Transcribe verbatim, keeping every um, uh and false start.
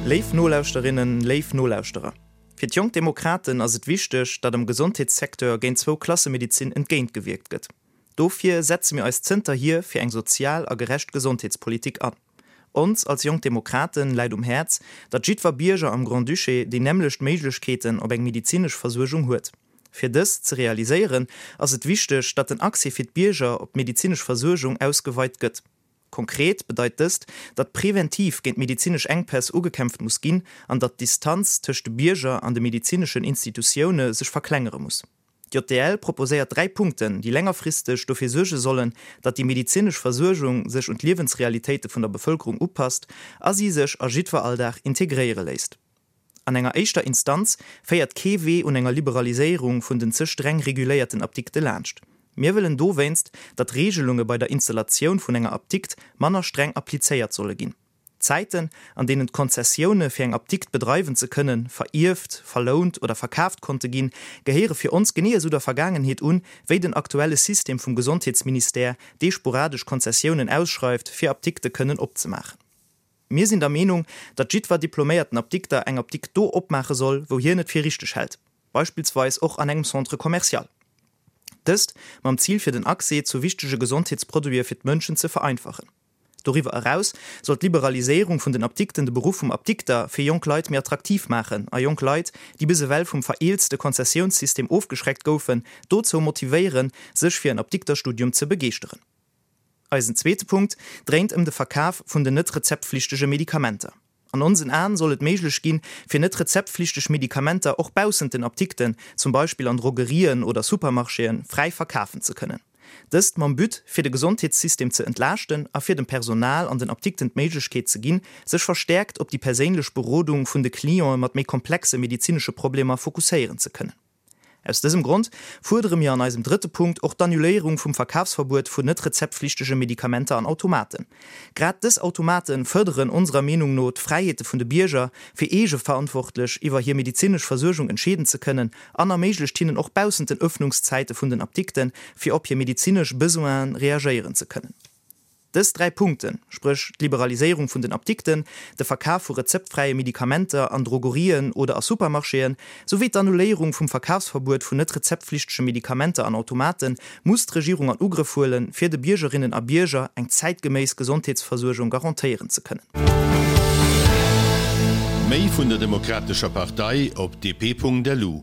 Léif Nolauschterinnen, léif Nolauschterer, fir d'Jonk Demokraten ass et wichteg, datt am Gesondheetssecteur géint d'Zwou-Klasse-Medezin entgéintgewierkt gëtt. Dofir setze mir eis zënterhier fir eng sozial a gerecht Gesondheetspolitik an. Ons als Jonk Demokraten läit um Häerz, datt jiddwer Bierger am Grand-Duché déi nämmlecht Méiglechkeeten op eng medezinesch Versuergung huet. Fir dëst ze realiséieren, ass et wichteg, datt den Accès fir d'Bierger op d'medezinesch Versuergung ausgeweit gëtt. Konkret bedeit dëst, datt preventiv géint medezinesch Enkpäss ugekämpft muss ginn an datt d'Distanz tëscht de Bierger an de medezineschen Institutioune sech verklengere muss. D'JDL proposéiert dräi Punkten, déi längerfristeg dofir suerge sollen, datt déi medezinesch Versuergung sech un d'Liewensrealitéite vun der Bevëlkerung upasst a si sech a jiddwer Alldag integréiere léisst. An enger éischter Instanz féiert kee Wee un enger Liberaliséierung vun den ze streng reguléierten Apdikte laanscht. Mir wëllen dowéinst, datt d'Reegelunge bei der Installatioun vun enger Apdikt manner streng applizéiert solle ginn. D'Zäiten, an deenen d'Konzessioune fir eng Apdikt bedreiwen ze kënnen, verierft, verlount oder verkaaft konnte ginn, gehéiere fir ons genee esou der Vergaangenheet un, wéi den aktuelle System vum Gesondheetsministère, dee sporadesch Konzessiounen ausschreift, fir Apdikte kënnen opzemaachen. Mir sinn der Meenung, datt jiddwer diploméierten Apdikter eng Apdikt do opmaache soll, wou hien et fir richteg hält, beispillsweis och an engem Centre commercial. Dëst mam Zil fir den Accès zu wichtege Gesondheetsproduite fir d'Mënschen ze vereinfachen. Doriwwer eraus soll d'Liberaliséierung vun den Apdikten de Beruff vum Apdikter fir jonk Leit méi attraktiv maachen a jonk Leit, déi bis ewell vum vereelzte Konzessiounssystem ofgeschreckt goufen, dozou motivéieren, sech fir en Apdikterstudium ze begeeschteren. Eisen zweete Punkt dréint ëm de Verkaf vun den net rezeptflichtege Medikamenter. An onsen Aen soll et méiglech ginn, fir net rezeptflichteg Medikamenter och baussent den Apdikten, zum Beispill an Drogerien oder Supermarchéen, fräi verkafen ze kënnen. Dëst mam But, fir de Gesondheetssystem ze entlaaschten a fir dem Personal an den Apdikten d'Méiglechkeet ze ginn, sech verstäerkt op déi perséinlech Berodung vun de Clientë mat méi komplexe medezinesche Problemer fokusséieren ze kënnen. Aus dësem Grond fuerdere mir an eisem drëtte Punkt och d'Annuléierung vum Verkafsverbuet vun net rezeptflichtege Medikamenter an Automaten. Grad dës Automate fërderen onserer Meenung no d'Fräiheete vun de Bierger, fir eegeverantwortlech iwwer hir medezinesch Versuergung entscheeden ze kënnen an erméiglecht hinnen och baussent den Ëffnungszäite vun den Apdikten, fir op hir medezinesch Besoinen reagéieren ze kënnen. Dës dräi Punkten, spréch d'Liberaliséierung vun den Apdikten, de Verkaf vu rezeptfräie Medikamenter an Drogerien oder a Supermarchéen, souwéi d'Annuléierung vum Verkafsverbuet vun net rezeptflichtege Medikamenter an Automaten, muss d'Regierung an Ugrëff huelen, fir de Biergerinnen a Bierger eng zäitgeméiss Gesondheetsversuergung garantéieren ze kënnen. Méi vun der Demokratescher Partei op D P Punkt L U.